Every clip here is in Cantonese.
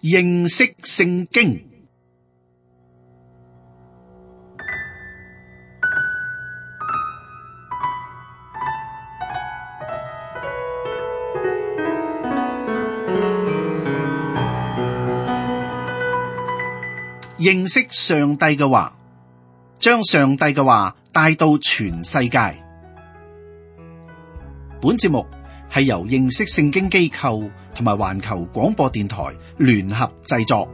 認識聖經。認識上帝嘅話，將上帝嘅話帶到全世界。本節目係由認識聖經機構同埋環球廣播電台聯合製作。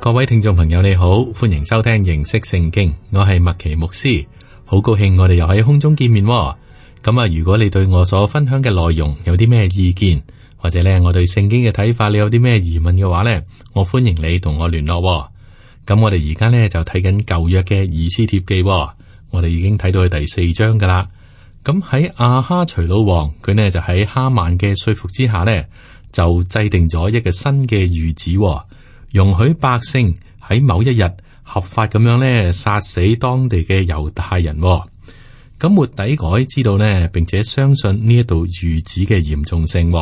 各位聽眾朋友你好，歡迎收聽認識聖經，我係麥奇牧師，好高興我哋又喺空中見面。咁啊，如果你對我所分享嘅內容有啲咩意見，或者咧我對聖經嘅睇法，你有啲咩疑問嘅話咧，我歡迎你同我聯絡。咁我哋而家咧就睇緊舊約嘅以斯帖記，我哋已經睇到去第4章噶啦。咁喺亞哈隨魯王，佢呢就喺哈曼嘅說服之下呢，就制定咗一個新嘅諭旨。容許百姓喺某一日合法咁樣咧殺死當地嘅猶太人。咁末底改知道呢，並且相信呢一道諭旨嘅嚴重性，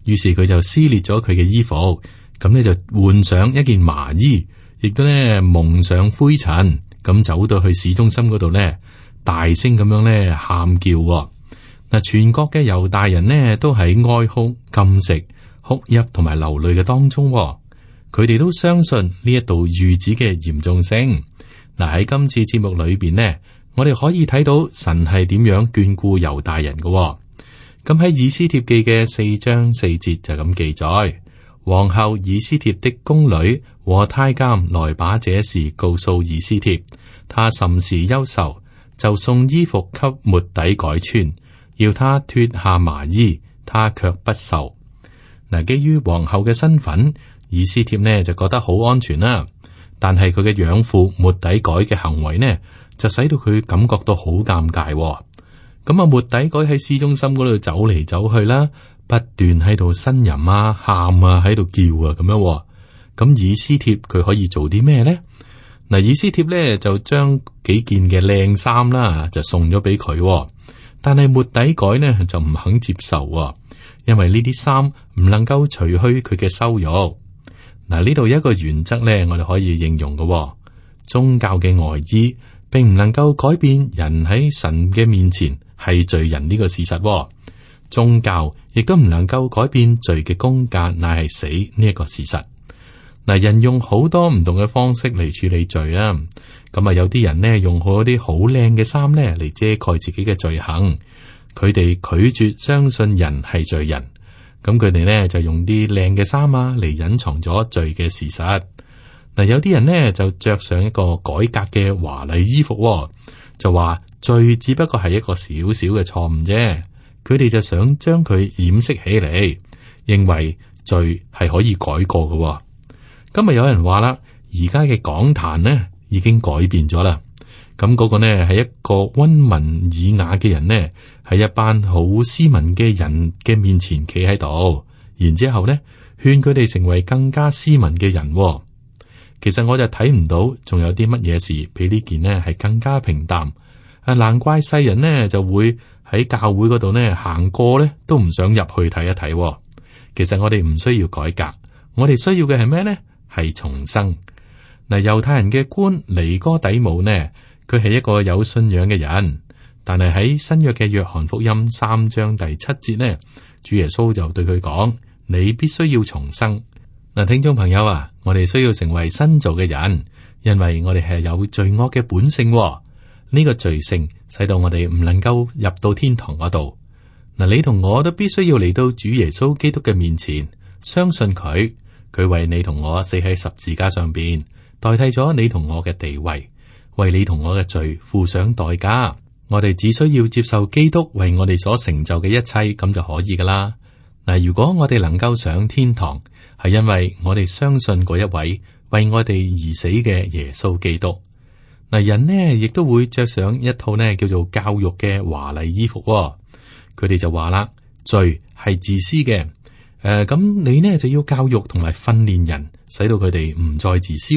於是佢就撕裂咗佢嘅衣服，咁呢就換上一件麻衣，亦都呢蒙上灰塵，咁走到去市中心嗰度呢，大聲咁樣咧喊叫。嗱，全國嘅猶大人呢都喺哀哭、禁食、哭泣同埋流淚嘅當中。佢哋都相信呢一道諭旨嘅嚴重性。嗱，喺今次節目裏邊呢，我哋可以睇到神係點樣眷顧猶大人嘅。咁喺以斯帖記嘅4章4節就咁記載：皇后以斯帖的宮女和太監來把這事告訴以斯帖，他甚是憂愁，就送衣服給末底改穿，要他脫下麻衣，他卻不受。嗱，基於皇后嘅身份，以斯帖呢就覺得好安全啦，但係佢嘅養父末底改嘅行為呢，就使到佢感覺到好尷尬。咁啊，末底改喺市中心嗰度走嚟走去啦，不斷喺度呻吟啊、喊啊、喺度叫啊咁樣。咁以斯帖佢可以做啲咩呢？嗱，以斯帖呢就將幾件嘅靚衫啦，就送咗俾佢，但係末底改呢就唔肯接受，因為呢啲衫唔能夠除去佢嘅羞辱。嗱，呢度有一個原則咧，我哋可以應用嘅，宗教嘅外衣並唔能夠改變人喺神嘅面前係罪人呢個事實，宗教亦都唔能夠改變罪嘅工價乃係死呢一個事實。嗱，人用好多唔同嘅方式嚟處理罪啊，咁啊有啲人呢用好啲好靚嘅衫咧嚟遮蓋自己嘅罪行，佢哋拒絕相信人係罪人。咁佢哋呢就用啲靚嘅衫啊嚟隱藏咗罪嘅事實。嗱，有啲人呢就着上一個改革嘅華麗衣服，就話罪只不過係一個小小嘅錯誤啫。佢哋就想將佢掩飾起嚟，認為罪係可以改過嘅。今日有人話啦，而家嘅講壇呢已經改變咗啦。咁嗰個呢係一個溫文爾雅嘅人呢，喺一班好斯文嘅人嘅面前企喺度，然之後呢勸佢哋成為更加斯文嘅人。其實我就睇唔到仲有啲乜嘢事比呢件呢係更加平淡。難怪世人呢就會喺教會嗰度呢行過呢都唔想入去睇一睇。其實我哋唔需要改革，我哋需要嘅係咩呢？係重生。嗱，猶太人嘅官尼哥底母呢，佢係一個有信仰嘅人，但係喺新約嘅約翰福音3章第7節呢，主耶穌就對佢講：你必須要重生。嗱，聽眾朋友啊，我哋需要成為新造嘅人，因為我哋係有罪惡嘅本性。呢個罪性使到我哋唔能夠入到天堂嗰度。嗱，你同我都必須要嚟到主耶穌基督嘅面前，相信佢，佢為你同我死喺十字架上邊，代替咗你同我嘅地位。為你同我嘅罪付上代價，我哋只需要接受基督為我哋所成就嘅一切，咁就可以噶啦。嗱，如果我哋能夠上天堂，係因為我哋相信嗰一位為我哋而死嘅耶穌基督。嗱，人呢亦都會着上一套呢叫做教育嘅華麗衣服。佢哋就話啦，罪係自私嘅。咁你呢就要教育同埋訓練人，使到佢哋唔再自私。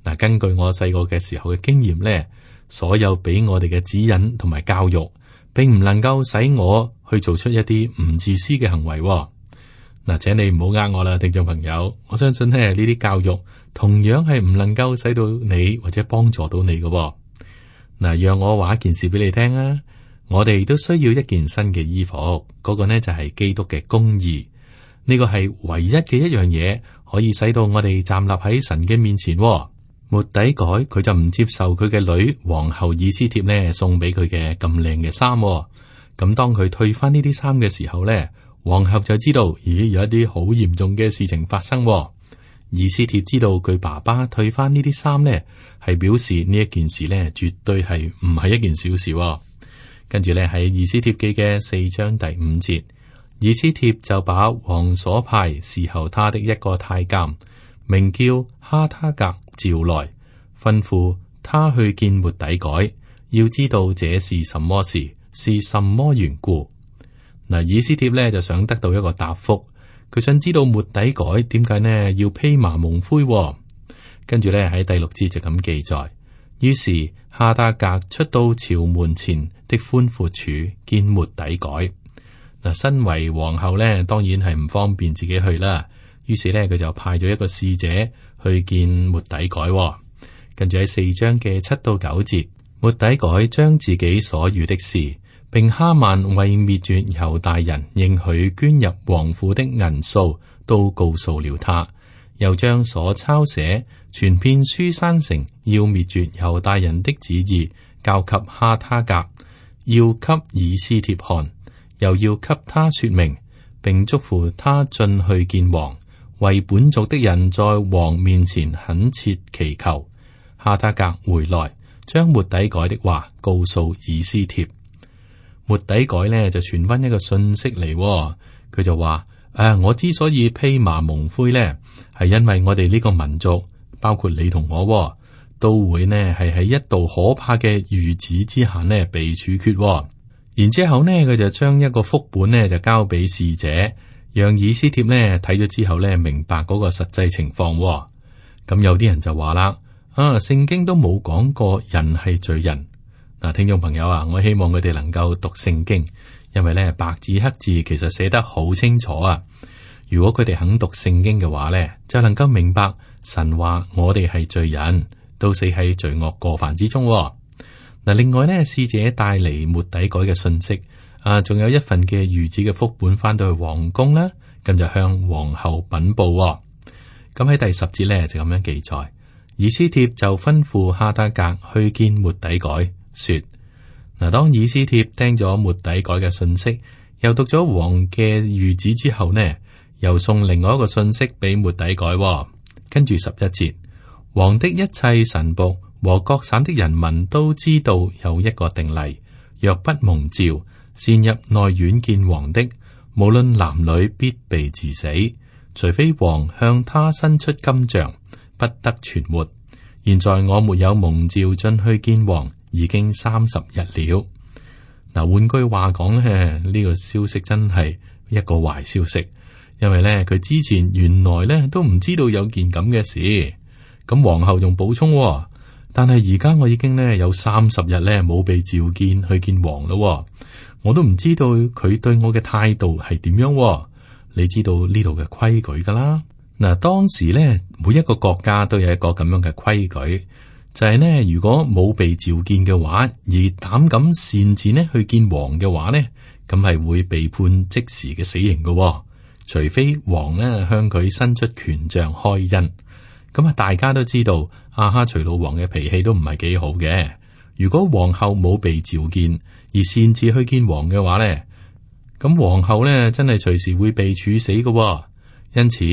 嗱，根據我細個嘅時候嘅經驗咧，所有俾我哋嘅指引同埋教育，並唔能夠使我去做出一啲唔自私嘅行為。嗱，請你唔好呃我啦，聽眾朋友，我相信咧呢啲教育同樣係唔能夠使到你或者幫助到你嘅。嗱，讓我話一件事俾你聽啊！我哋都需要一件新嘅衣服，嗰個呢就係基督嘅公義。呢個係唯一嘅一樣嘢，可以使到我哋站立喺神嘅面前。末底改佢就唔接受佢嘅女皇后以斯帖呢送俾佢嘅咁靚嘅衫。咁當佢退翻呢啲衫嘅時候呢，皇后就知道，咦，有一啲好嚴重嘅事情發生。以斯帖知道佢爸爸退翻呢啲衫呢，係表示呢一件事呢絕對係唔係一件小事。跟住呢，喺以斯帖記嘅4章第5節，以斯帖就把王所派侍候他的一個太監，名叫哈他格召來，吩咐他去見末底改，要知道這是什麼事，是什麼緣故。嗱，以斯帖呢就想得到一個答覆，佢想知道末底改點解呢要披麻蒙灰。跟住呢，喺第6節就咁記載，於是哈他格出到朝門前的寬闊處見末底改。嗱，身為皇后呢，當然係唔方便自己去啦。於是呢，佢就派咗一個使者去見末底改。跟住喺4章嘅7到9節，末底改將自己所遇的事，並哈曼為滅絕猶大人應許捐入王庫的銀數，都告訴了他。又將所抄寫傳遍書珊城要滅絕猶大人的旨意交給哈他格，要給以斯帖看，又要給他說明，並囑咐他進去見王，為本族的人在王面前懇切祈求。哈他格回來，將末底改的話告訴以斯帖。末底改呢就傳翻一個信息嚟，佢就話：我之所以披麻蒙灰呢，係因為我哋呢個民族，包括你同我，都會呢係喺一道可怕嘅諭旨之下呢被處決。然之後呢，佢就將一個複本呢就交俾使者，讓以斯帖呢睇咗之後呢明白嗰個實際情況。咁有啲人就話啦：聖經都冇講過人係罪人。嗱，聽眾朋友啊，我希望佢哋能夠讀聖經，因為呢白紙黑字其實寫得好清楚啊。如果佢哋肯讀聖經嘅話呢，就能夠明白神話我哋係罪人，都死喺罪惡過犯之中。嗱，另外呢，使者帶嚟末底改嘅信息，仲有一份嘅諭旨嘅複本翻到去皇宮啦，咁就向皇后稟報。咁喺第10節呢，就咁樣記載，以斯帖就吩咐哈他格去見末底改，說：嗱，當以斯帖聽咗末底改嘅信息，又讀咗王嘅諭旨之後呢，又送另外一個信息俾末底改。跟住11節，王的一切臣僕和各省的人民都知道有一個定例，若不蒙召，擅入內院見王的，無論男女，必被治死，除非王向他伸出金杖，不得存活。現在我沒有蒙召進去見王，已經30日了。嗱，換句話講咧，呢個消息真係一個壞消息，因為咧佢之前原來咧都唔知道有件咁嘅事。咁皇后仲補充，但係而家我已經咧有30日咧冇被召見去見王咯，我都唔知道佢對我嘅態度係點樣。你知道呢度嘅規矩噶啦。嗱，當時咧每一個國家都有一個咁樣嘅規矩，就係呢，如果冇被召見嘅話，而膽敢擅自呢去見王嘅話呢，咁係會被判即時嘅死刑嘅，除非王呢向佢伸出權杖開恩。咁大家都知道亞哈隨魯王嘅脾氣都唔係幾好嘅。如果皇后冇被召見而擅自去見王嘅話呢，咁皇后呢真係隨時會被處死嘅。因此，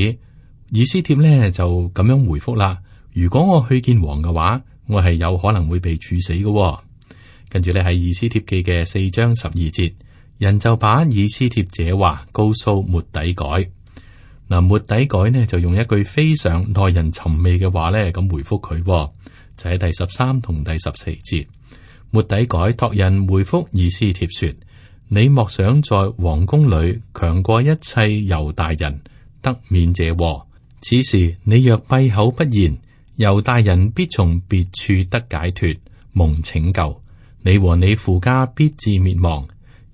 以斯帖呢就咁樣回覆啦：如果我去見王嘅話，我係有可能會被處死嘅。跟住呢喺以斯帖記嘅4章12節，人就把以斯帖這話告訴末底改。嗱，末底改呢就用一句非常耐人尋味嘅話呢咁回覆佢，就喺第13同第14節。末底改託人回覆以斯帖說：你莫想在王宮裏強過一切猶大人，得免這禍。此時你若閉口不言，猶大人必從別處得解脫，蒙拯救。你和你父家必致滅亡。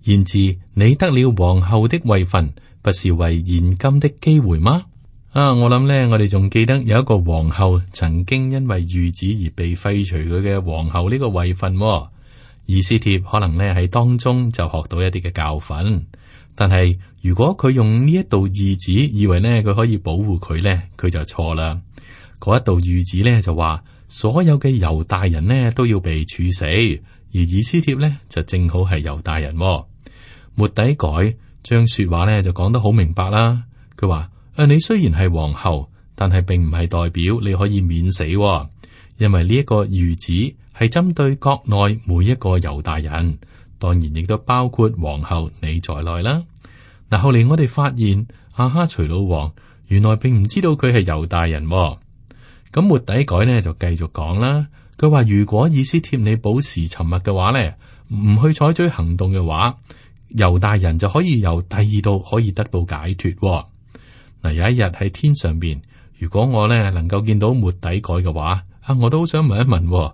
然而你得了皇后的位分，不是為現今的機會嗎？我諗呢，我哋仲記得有一個皇后曾經因為諭旨而被廢除佢嘅皇后呢個位分。以斯帖可能呢喺當中就學到一啲嘅教訓，但係如果佢用呢一道諭旨，以為呢佢可以保護佢呢，佢就錯啦。嗰一道諭旨呢就話，所有嘅猶大人呢都要被處死，而以斯帖呢就正好係猶大人。末底改將說話呢就講得好明白啦。佢話：你雖然係皇后，但係並唔係代表你可以免死，因為呢一個諭旨係針對國內每一個猶大人，當然亦都包括皇后你在內啦。嗱，後嚟我哋發現亞哈隨魯王原來並唔知道佢係猶大人。咁末底改呢就繼續講啦。佢話：如果以斯帖你保持沉默嘅話呢，唔去採取行動嘅話，猶大人就可以由第二度可以得到解脫。嗱，有一日喺天上邊，如果我呢能夠見到末底改嘅話，我都好想問一問。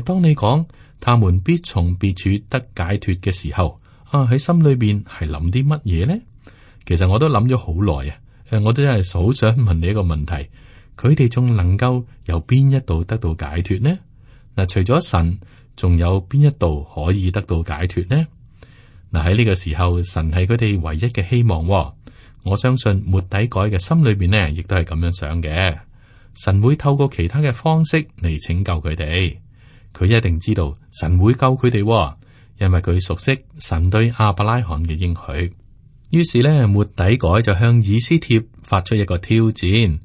當你講他們必從別處得解脫嘅時候，喺心裏邊係諗啲乜嘢呢？其實我都諗咗好耐啊。我都真係好想問你一個問題：佢哋仲能夠由邊一度得到解脫呢？嗱，除咗神，仲有邊一度可以得到解脫呢？嗱，喺呢個時候，神係佢哋唯一嘅希望。我相信末底改嘅心裏邊呢，亦都係咁樣想嘅。神會透過其他嘅方式嚟拯救佢哋。佢一定知道神會救佢哋，因為佢熟悉神對亞伯拉罕嘅應許。於是呢，末底改就向以斯帖發出一個挑戰：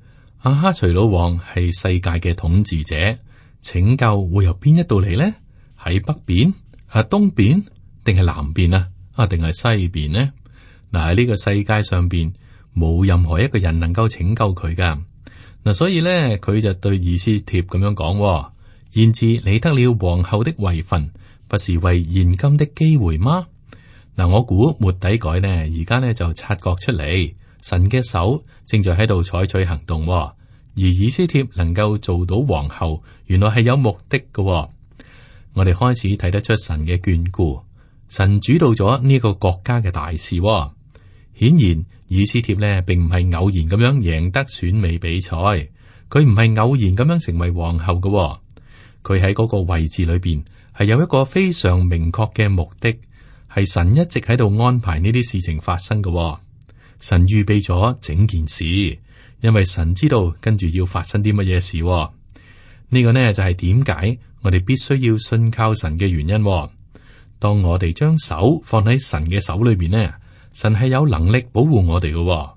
亞哈隨魯王係世界嘅統治者，拯救會由邊一度嚟呢？喺北邊、東邊，定係南邊啊？定係西邊呢？嗱，喺呢個世界上邊冇任何一個人能夠拯救佢噶。嗱，所以咧佢就對以斯帖咁樣講：然至你得了皇后的位分，不是為現今的機會嗎？嗱，我估末底改呢，而家呢就察覺出嚟，神嘅手正在喺度採取行動，而以斯帖能夠做到皇后，原來係有目的嘅。我哋開始睇得出神嘅眷顧，神主導咗呢個國家嘅大事。顯然，以斯帖呢並唔係偶然咁樣贏得選美比賽，佢唔係偶然咁樣成為皇后嘅。佢喺嗰個位置裏邊係有一個非常明確嘅目的，係神一直喺度安排呢啲事情發生嘅。神預備咗整件事，因為神知道跟住要發生啲乜嘢事。呢個呢就係點解我哋必須要信靠神嘅原因。當我哋將手放喺神嘅手裏邊呢，神係有能力保護我哋嘅。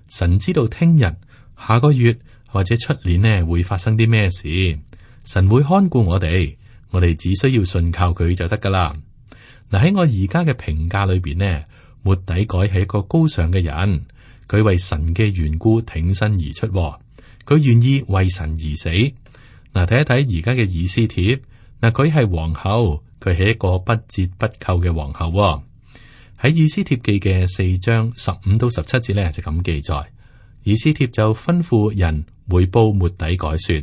神知道聽日、下個月或者出年呢會發生啲咩事，神會看顧我哋只需要信靠佢就得噶啦。嗱，喺我而家嘅評價裏邊呢，末底改係一個高尚嘅人，佢為神嘅緣故挺身而出，佢願意為神而死。嗱，睇一睇而家嘅以斯帖，嗱，佢係皇后，佢係一個不折不扣嘅皇后。喺以斯帖記嘅4章15到17節咧就咁記載，以斯帖就吩咐人回報末底改說：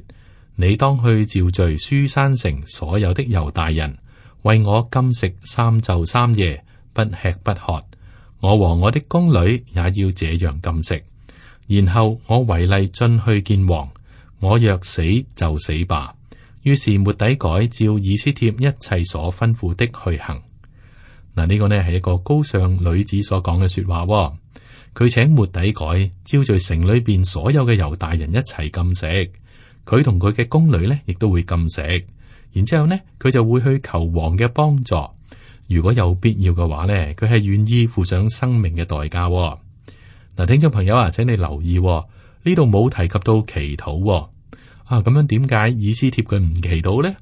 你當去召聚書珊城所有的猶大人，為我禁食3晝3夜，不吃不喝。我和我的宮女也要這樣禁食。然後我違例進去見王，我若死就死吧。於是末底改照以斯帖一切所吩咐的去行。嗱，呢個呢係一個高尚女子所講嘅說話。佢請末底改招聚城裏邊所有嘅猶大人一齊禁食，佢同佢嘅宮女呢亦都會禁食。然之後呢，佢就會去求王嘅幫助。如果有必要嘅話呢，佢係願意付上生命嘅代價。嗱，聽眾朋友啊，請你留意呢度冇提及到祈禱。咁樣點解以斯帖佢唔祈禱呢？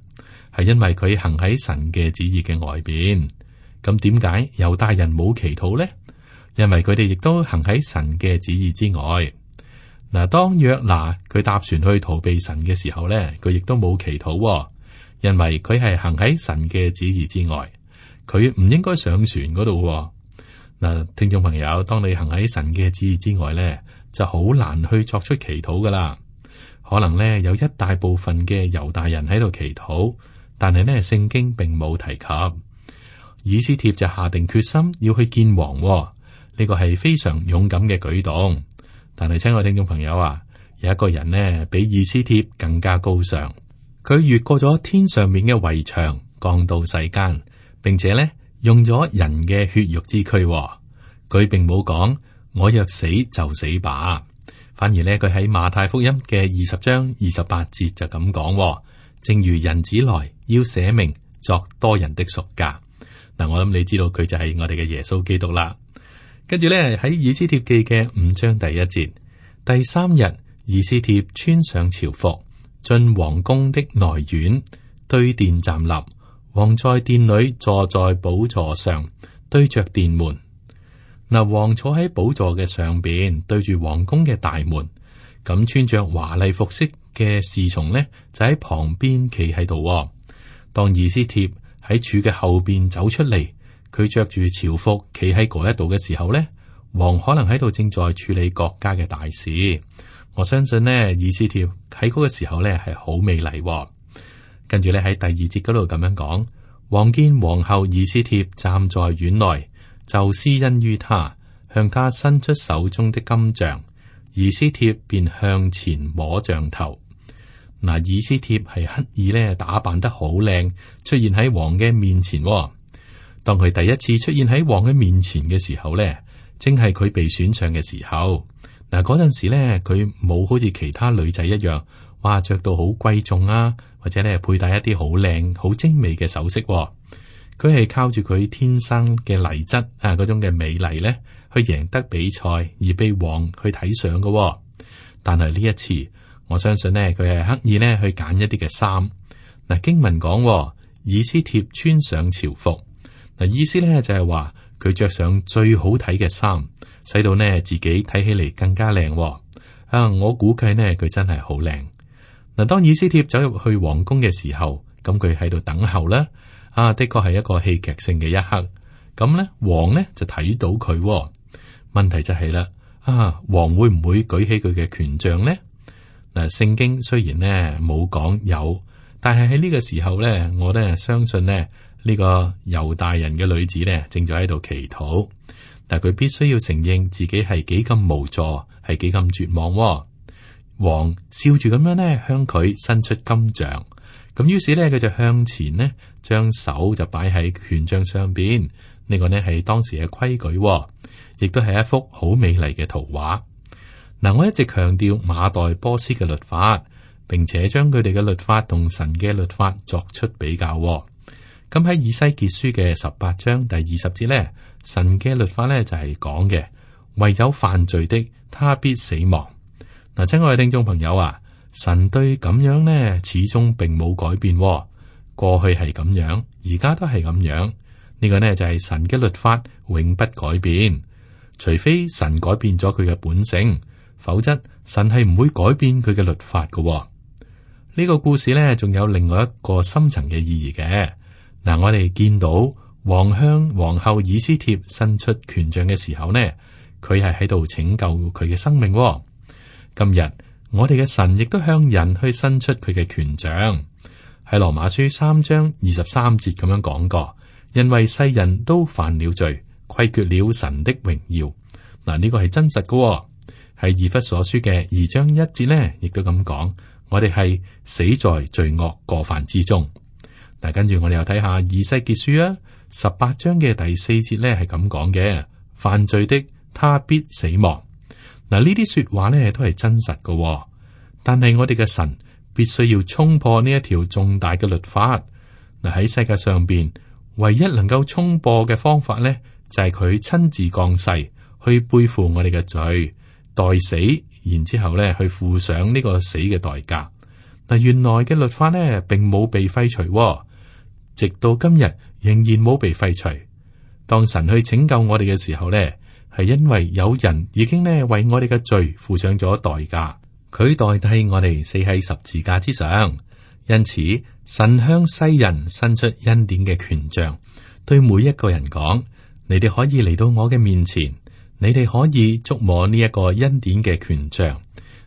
係因為佢行喺神嘅旨意嘅外邊。咁點解猶大人冇祈禱呢？因為佢哋亦都行喺神嘅旨意之外。嗱，當約拿佢搭船去逃避神嘅時候呢，佢亦都冇祈禱，因為佢係行喺神嘅旨意之外，佢唔應該上船嗰度。嗱，聽眾朋友，當你行喺神嘅旨意之外呢，就好難去作出祈禱噶啦。可能呢有一大部分嘅猶大人喺度祈禱，但係呢聖經並冇提及。以斯帖就下定決心要去見王，呢個係非常勇敢嘅舉動。但係親愛聽眾朋友啊，有一個人呢比以斯帖更加高尚，佢越過咗天上面嘅圍牆，降到世間，並且呢用咗人嘅血肉之軀。佢並冇講我若死就死吧，反而呢佢喺馬太福音嘅20章28節就咁講，正如人子來要捨命作多人的贖價。嗱，我諗你知道佢就係我哋嘅耶穌基督啦。跟住咧喺以斯帖記嘅5章第1節，第3日，以斯帖穿上朝服，進王宮的內院，對殿站立。王在殿裏坐在寶座上，對着殿門。嗱，王坐喺寶座嘅上邊，對住王宮嘅大門。咁穿着華麗服飾嘅侍從呢，就喺旁邊企喺度。當以斯帖喺柱嘅後邊走出嚟，佢着住朝服企喺嗰一度嘅時候呢，王可能喺度正在處理國家嘅大事。我相信呢，以斯帖喺嗰個時候呢係好美麗。跟住咧喺第2節嗰度咁樣講，王見皇后以斯帖站在院內，就施恩於他，向他伸出手中的金杖，以斯帖便向前摸杖頭。嗱，以斯帖係刻意咧打扮得好靚，出現喺王嘅面前。當佢第一次出現喺王嘅面前嘅時候咧，正係佢被選上嘅時候。嗱，嗰陣時咧，佢冇好似其他女仔一樣，哇，着到好貴重啊，或者咧佩戴一啲好靚、好精美嘅首飾。佢係靠住佢天生嘅麗質啊，嗰種嘅美麗咧，去贏得比賽而被王去睇上嘅。但係呢一次，我相信呢，佢係刻意呢去揀一啲嘅衫。嗱，經文講，以斯帖穿上朝服，嗱，意思咧就係話佢着上最好睇嘅衫，使到呢自己睇起嚟更加靚。啊，我估計呢佢真係好靚。嗱，當以斯帖走入去皇宮嘅時候，咁佢喺度等候啦。啊，的確係一個戲劇性嘅一刻。咁呢，王呢就睇到佢。問題就係啦，啊，王會唔會舉起佢嘅權杖呢？嗱，聖經雖然呢冇講有，但係喺呢個時候呢，我呢相信呢呢個猶大人嘅女子呢正在喺度祈禱。但佢必須要承認自己係幾咁無助，係幾咁絕望。王笑住咁樣呢向佢伸出金杖，咁於是呢，佢就向前呢將手就擺喺權杖上邊。呢個呢係當時嘅規矩，亦都係一幅好美麗嘅圖畫。嗱，我一直強調馬代波斯嘅律法，並且將佢哋嘅律法同神嘅律法作出比較。咁喺以西結書嘅18章第20節呢，神嘅律法呢就係講嘅，唯有犯罪的，他必死亡。嗱，親愛嘅聽眾朋友啊，神對咁樣呢始終並冇改變，過去係咁樣，而家都係咁樣。呢個呢就係神嘅律法永不改變，除非神改變咗佢嘅本性。否則，神係唔會改變佢嘅律法嘅。呢個故事呢，仲有另外一個深層嘅意義嘅。嗱，我哋見到王向皇后以斯帖伸出權杖嘅時候呢，佢係喺度拯救佢嘅生命。今日我哋嘅神亦都向人去伸出佢嘅權杖。喺羅馬書3章23節咁樣講過，因為世人都犯了罪，虧缺了神的榮耀。嗱，呢個係真實嘅。喺以弗所書嘅2章1節呢，亦都咁講，我哋係死在罪惡過犯之中。嗱，跟住我哋又睇下以西結書啊，18章嘅第4節呢係咁講嘅，犯罪的他必死亡。嗱，呢啲說話呢都係真實嘅，但係我哋嘅神必須要衝破呢一條重大嘅律法。嗱，喺世界上邊，唯一能夠衝破嘅方法呢，就係佢親自降世去背負我哋嘅罪。代死，然之後咧去付上呢個死嘅代價。嗱，原來嘅律法呢並冇被廢除，直到今日仍然冇被廢除。當神去拯救我哋嘅時候呢，係因為有人已經呢為我哋嘅罪付上咗代價，佢代替我哋死喺十字架之上。因此，神向世人伸出恩典嘅權杖，對每一個人講：你哋可以嚟到我嘅面前。你哋可以觸摸呢一個恩典嘅權杖，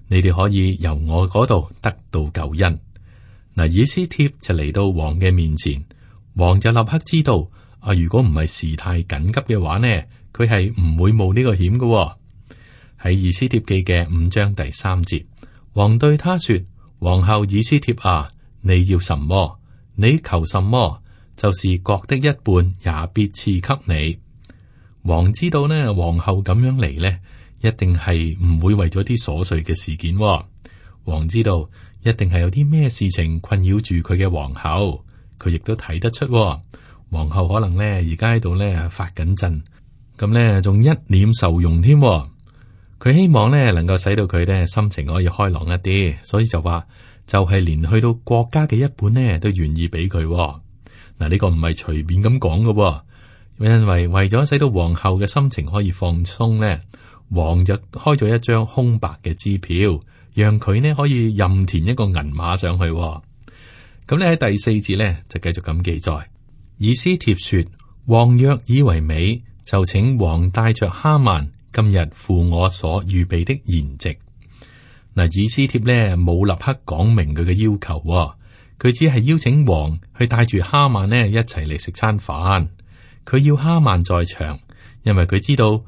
你哋可以由我嗰度得到救恩。嗱，以斯帖就嚟到王嘅面前，王就立刻知道如果唔係事態緊急嘅話呢，佢係唔會冒呢個險嘅。喺以斯帖記嘅5章第3節，王對他說：皇后以斯帖啊，你要什麼？你求什麼？就是國的一半也必賜給你。王知道呢，皇后咁樣嚟呢，一定係唔會為咗啲瑣碎嘅事件。王知道一定係有啲咩事情困擾住佢嘅皇后，佢亦都睇得出。皇后可能呢而家喺度呢發緊震，咁呢仲一臉愁容添。佢希望呢能夠使到佢呢心情可以開朗一啲，所以就話就係連去到國家嘅一半呢都願意俾佢。嗱，呢個唔係隨便咁講嘅，因為咗使到皇后嘅心情可以放鬆呢，王就開咗一張空白嘅支票，讓佢呢可以任填一個銀碼上去。咁咧喺第4節呢就繼續咁記載，以斯帖說：王若以為美，就請王帶着哈曼今日赴我所預備的筵席。嗱，以斯帖呢冇立刻講明佢嘅要求，佢只係邀請王去帶住哈曼呢一齊嚟食餐飯。佢要哈曼在場，因為佢知道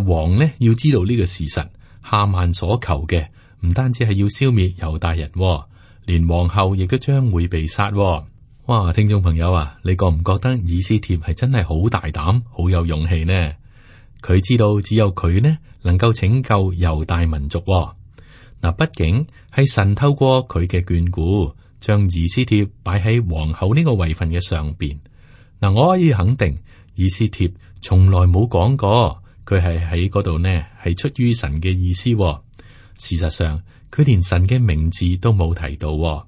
王呢要知道呢個事實。哈曼所求嘅唔單止係要消滅猶大人，連皇后亦都將會被殺。哇！聽眾朋友啊，你覺唔覺得以斯帖係真係好大膽、好有勇氣呢？佢知道只有佢呢能夠拯救猶大民族。嗱，畢竟係神透過佢嘅眷顧，將以斯帖擺喺皇后呢個位份嘅上邊。嗱，我可以肯定，以斯帖從來冇講過佢係喺嗰度呢係出於神嘅意思。事實上，佢連神嘅名字都冇提到。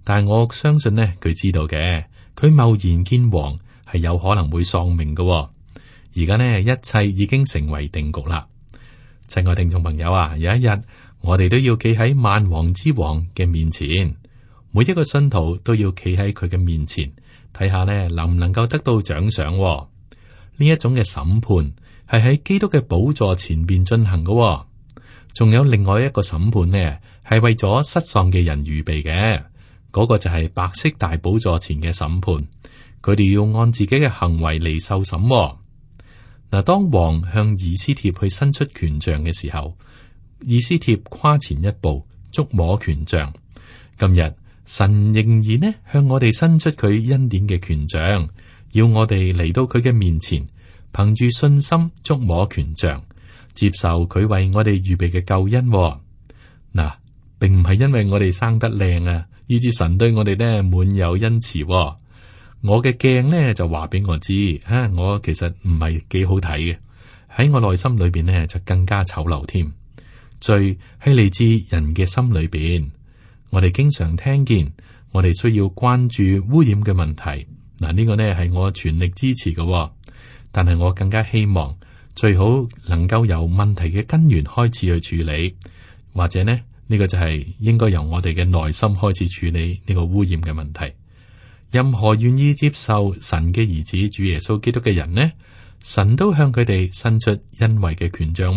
但係我相信呢，佢知道嘅。佢貿然見王係有可能會喪命嘅。而家呢，一切已經成為定局啦。親愛聽眾朋友啊，有一日我哋都要企喺萬王之王嘅面前，每一個信徒都要企喺佢嘅面前，睇下呢能唔能夠得到獎賞。呢一種嘅審判係喺基督嘅寶座前邊進行嘅。仲有另外一個審判呢，係為咗失喪嘅人預備嘅，嗰個就係白色大寶座前嘅審判。佢哋要按自己嘅行為嚟受審。嗱，當王向以斯帖去伸出權杖嘅時候，以斯帖跨前一步觸摸權杖。今日神仍然呢向我哋伸出佢恩典嘅權杖，要我哋嚟到佢嘅面前，憑住信心觸摸權杖，接受佢為我哋預備嘅救恩。嗱，並唔係因為我哋生得靚啊，以致神對我哋呢滿有恩慈。我嘅鏡呢就話俾我知，我其實唔係幾好睇嘅，喺我內心裏邊呢就更加醜陋添。罪係嚟自人嘅心裏邊，我哋經常聽見，我哋需要關注污染嘅問題。嗱，呢個呢係我全力支持嘅，但係我更加希望最好能夠由問題嘅根源開始去處理，或者呢個就係應該由我哋嘅內心開始處理呢個污染嘅問題。任何願意接受神嘅兒子主耶穌基督嘅人呢，神都向佢哋伸出恩惠嘅權杖。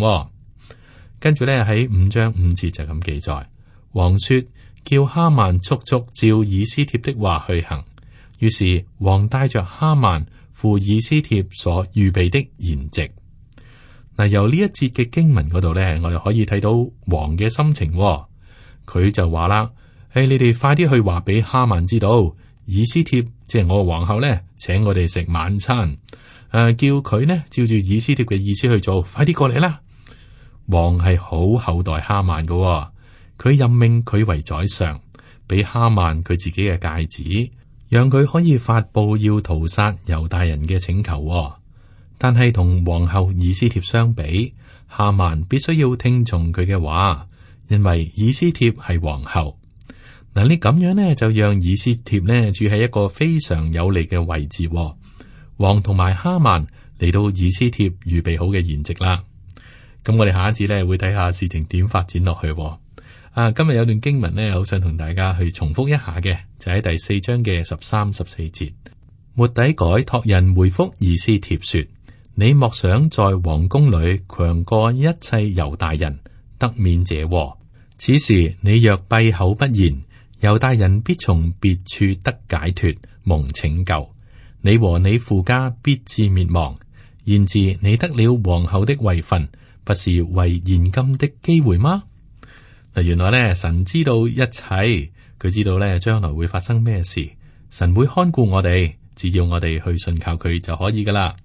跟住呢，喺5章5節就咁記載，王說叫哈曼速速照以斯帖的話去行。於是王帶着哈曼赴以斯帖所預備的筵席。嗱，由呢一節嘅經文嗰度呢，我哋可以睇到王嘅心情。佢就話啦：你哋快啲去話俾哈曼知道。以斯帖即係我嘅皇后呢，請我哋食晚餐。叫佢呢照住以斯帖嘅意思去做，快啲過嚟啦！王係好厚待哈曼嘅，佢任命佢為宰相，俾哈曼佢自己嘅戒指，讓佢可以發布要屠殺猶大人嘅請求。但係同皇后以斯帖相比，哈曼必須要聽從佢嘅話，因為以斯帖係皇后。嗱，你咁樣呢，就讓以斯帖呢住喺一個非常有利嘅位置。王同埋哈曼嚟到以斯帖預備好嘅筵席啦。咁我哋下一次呢會睇下事情點發展落去。今日有段經文呢，好想同大家去重複一下嘅，就喺第4章嘅13、14節。末底改託人回覆以斯帖說：你莫想在王宮裏強過一切猶大人，得免這禍。此時你若閉口不言，猶大人必從別處得解脫，蒙拯救。你和你父家必致滅亡。然而你得了皇后的位分，不是為現今的機會嗎？嗱，原來咧神知道一切，佢知道咧將來會發生咩事，神會看顧我哋，只要我哋去信靠佢就可以噶啦。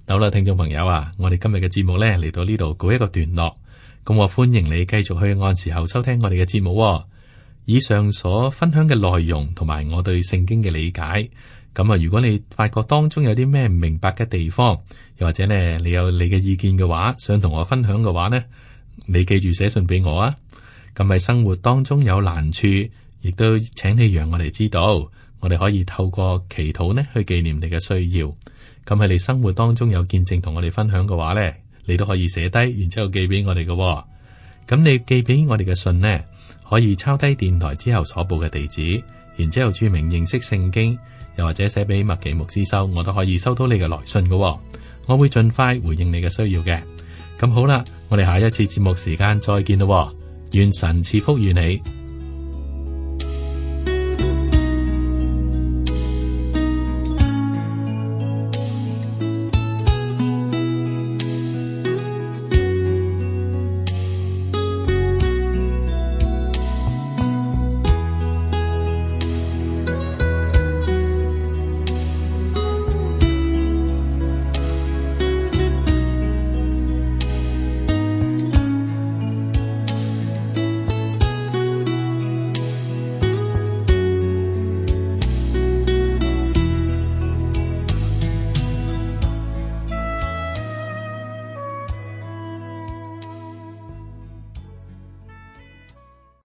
好啦，聽眾朋友啊，我哋今日嘅節目咧嚟到呢度告一個段落，咁我歡迎你繼續去按時候收聽我哋嘅節目。以上所分享嘅內容同埋我對聖經嘅理解。咁啊，如果你發覺當中有啲咩唔明白嘅地方，又或者呢你有你嘅意見嘅話，想同我分享嘅話呢，你記住寫信俾我啊。咁喺生活當中有難處，亦都請你讓我哋知道，我哋可以透過祈禱呢去紀念你嘅需要。咁喺你生活當中有見證同我哋分享嘅話呢，你都可以寫低，然之後寄俾我哋嘅。咁你寄俾我哋嘅信呢，可以抄低電台之後所報嘅地址，然之後注明認識聖經。又或者寫俾麥奇牧師收，我都可以收到你嘅來信嘅，我會盡快回應你嘅需要嘅。咁好啦，我哋下一次節目時間再見咯，願神賜福與你。